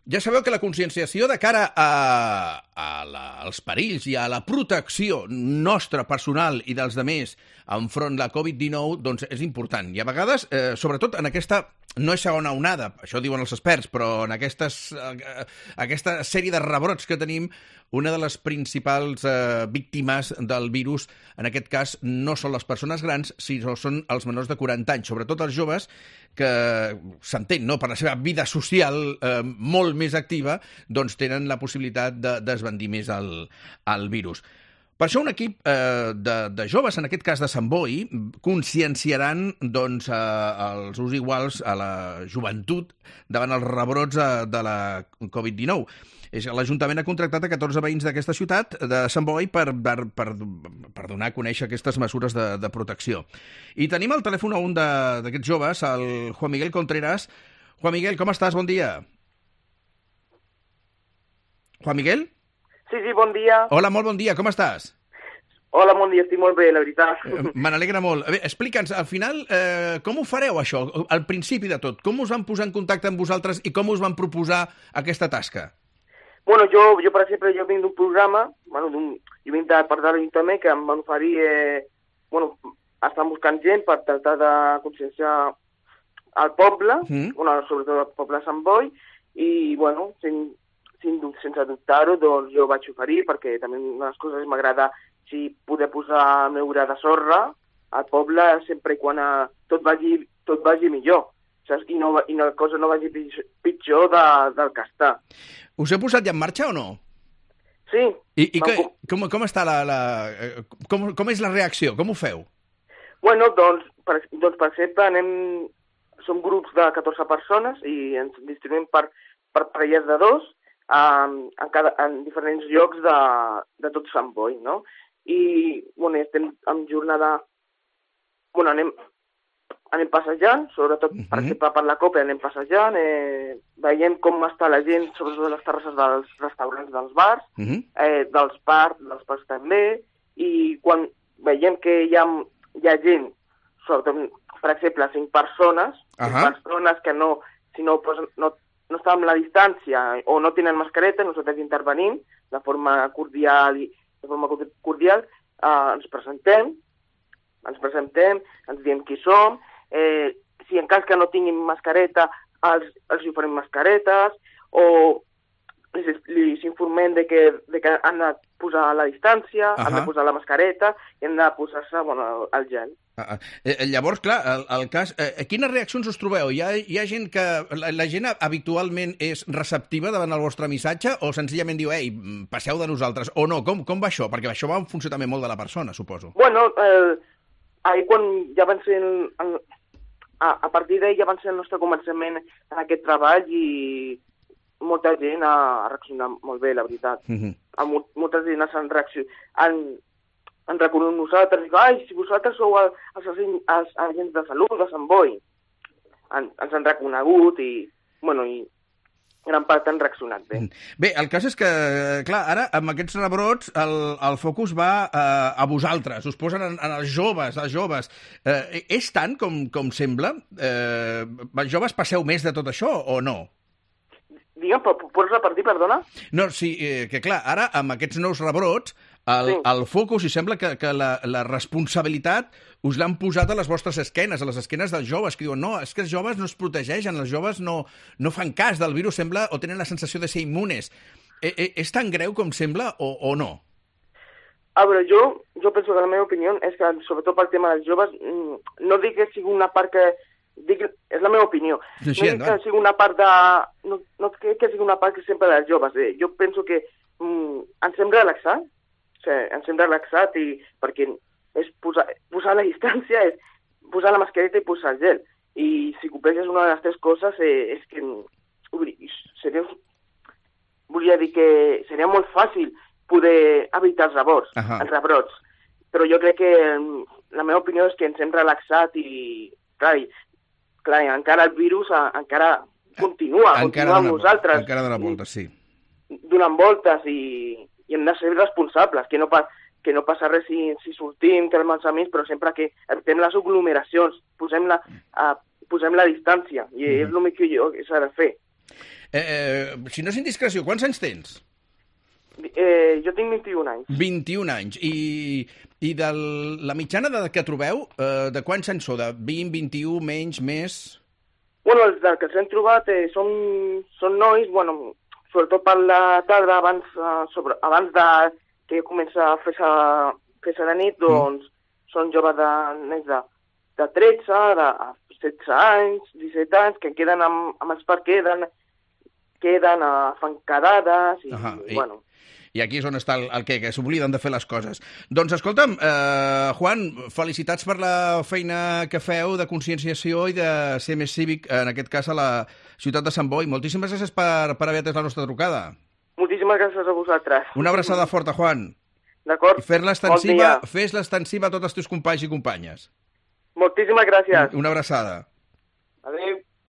Ja sabeu que la conscienciació de cara als perills i a la protecció nostra personal i dels demés enfront de la Covid-19 doncs és important. I a vegades, sobretot en aquesta, no és segona onada, això diuen els experts, però en aquesta sèrie de rebrots que tenim, una de les principals víctimes del virus, en aquest cas, no són les persones grans, sinó són els menors de 40 anys, sobretot els joves, que s'entén, no?, per la seva vida social molt més activa, doncs tenen la possibilitat d'esbandir més el virus. Per això un equip de joves, en aquest cas de Sant Boi, conscienciaran doncs, els us iguals a la joventut davant els rebrots de la Covid-19. L'Ajuntament ha contractat a 14 veïns d'aquesta ciutat, de Sant Boi, per donar a conèixer aquestes mesures de protecció. I tenim al telèfon a un d'aquests joves, el Juan Miguel Contreras. Juan Miguel, com estàs? Bon dia. Juan Miguel? Sí, bon dia. Hola, molt bon dia, com estàs? Hola, bon dia, estic molt bé, la veritat. Me n'alegra molt. Bé, explica'ns, al final, com ho fareu, això? Al principi de tot, com us van posar en contacte amb vosaltres i com us van proposar aquesta tasca? Bueno, jo per exemple, jo vinc d'un programa, jo vinc de part de l'Ajuntament, que em van oferir, estan buscant gent per tractar de conscienciar al poble, sobretot al poble de Sant Boi, i, sense dubtar-ho, doncs jo vaig oferir, perquè també una de les coses m'agrada poder posar el meu gra de sorra al poble sempre i quan tot vagi millor, saps? I la cosa no vagi pitjor del que està. Us heu posat ja en marxa o no? Sí. I com està com és la reacció? Com ho feu? Bueno, doncs, per exemple, som grups de 14 persones i ens distribuïm per parelles de dos en diferents llocs de tot Sant Boi, no? I, estem en jornada... anem passejant, sobretot, per exemple, per la Copa anem passejant, veiem com està la gent, sobretot a les terrasses dels restaurants dels bars, dels parcs també, i quan veiem que hi ha gent, sobretot, per exemple, 5 persones, que si no estan amb la distància o no tenen mascareta, nosaltres intervenim de forma cordial, ens presentem, ens diem qui som, si en cas que no tinguin mascareta, els oferim mascaretes, o els informem de que han de posar la distància, han de posar la mascareta i han de posar-se el gel. Llavors, clar, el cas... quines reaccions us trobeu? Hi ha gent que... La gent habitualment és receptiva davant el vostre missatge o senzillament diu, ei, passeu de nosaltres, o no? Com va això? Perquè això va en funció també molt de la persona, suposo. Bueno, ahir quan ja van ser... A partir d'ahir ja van ser el nostre començament en aquest treball i molta gent ha reaccionat molt bé, la veritat. Molta gent han reconegut nosaltres, i ai, si vosaltres sou els agents de salut de Sant Boi. Ens han reconegut i gran part han reaccionat bé. Bé, el cas és que, clar, ara amb aquests rebrots el focus va a vosaltres, us posen en els joves. És tant com sembla? Els joves passeu més de tot això o no? Digue'm, pots repartir, perdona? No, sí, que clar, ara amb aquests nous rebrots el focus, i sembla que la responsabilitat us l'han posat a les vostres esquenes, a les esquenes dels joves, que diuen, no, és que els joves no es protegeixen, els joves no fan cas del virus, sembla, o tenen la sensació de ser immunes. És tan greu com sembla o no? A veure, jo penso que la meva opinió és que, sobretot pel tema dels joves, no dic que sigui una part que... és la meva opinió. No dic que sigui una part de... No crec que sigui una part que sempre dels joves. Jo penso que ens hem relaxat, perquè és posar la distància, és posar la mascareta i posar el gel. I si compleixes una de les 3 coses, és que volia dir que seria molt fàcil poder evitar els rebrots. Però jo crec que la meva opinió és que ens hem relaxat i, clar, encara el virus encara continua amb nosaltres. Encara dona voltes, sí. Donant voltes i hem de ser responsables, que no passa res si sortim, tenim els amics, però sempre que evitem les aglomeracions, posem la distància, i és el que s'ha de fer. Si no és indiscreció, quants anys tens? Jo tinc 21 anys. 21 anys. I de la mitjana d'edat que trobeu, de quants anys sou? De 20, 21, menys, més? Bueno, els que els hem trobat són nois, bueno, sobretot per la tarda, abans que comença a fer-se de nit, doncs són joves de 13, de 16 anys, 17 anys, que queden amb els parcs, fan quedades i, bueno... I aquí és on està el que s'obliden de fer les coses. Doncs escolta'm, Juan, felicitats per la feina que feu de conscienciació i de ser més cívic, en aquest cas a la ciutat de Sant Boi. Moltíssimes gràcies per haver atès la nostra trucada. Moltíssimes gràcies a vosaltres. Una abraçada forta, Juan. D'acord. I fes-la extensiva a tots els teus companys i companyes. Moltíssimes gràcies. Una abraçada. Adéu.